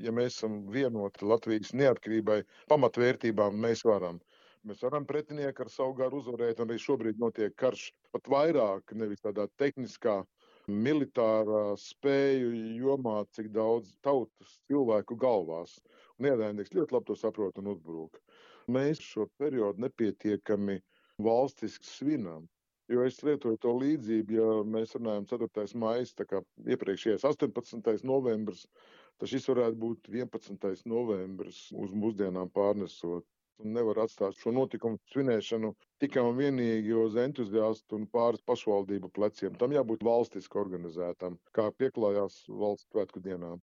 ja mēs esam vienoti Latvijas neatkarībai, pamatvērtībām, mēs varam. Mēs varam pretinieku ar savu garu uzvarēt, un arī šobrīd notiek karš pat vairāk, nevis tādā tehniskā, militārā spēju jomā, cik daudz tautas cilvēku galvās. Un ienaidnieks ļoti labi to saprot un uzbrūk. Mēs šo periodu nepietiekami valstiski svinam. Jo es lietoju to līdzību, ja mēs runājam 4. maijs, tā kā iepriekšējais 18. novembris, tad šis varētu būt 11. novembris uz mūsdienām pārnesot. Un nevar atstāt šo notikumu svinēšanu tikai un vienīgi uz entuziastu un pāris pašvaldību pleciem. Tam jābūt valstiski organizētam, kā pieklājās valsts svētku dienām.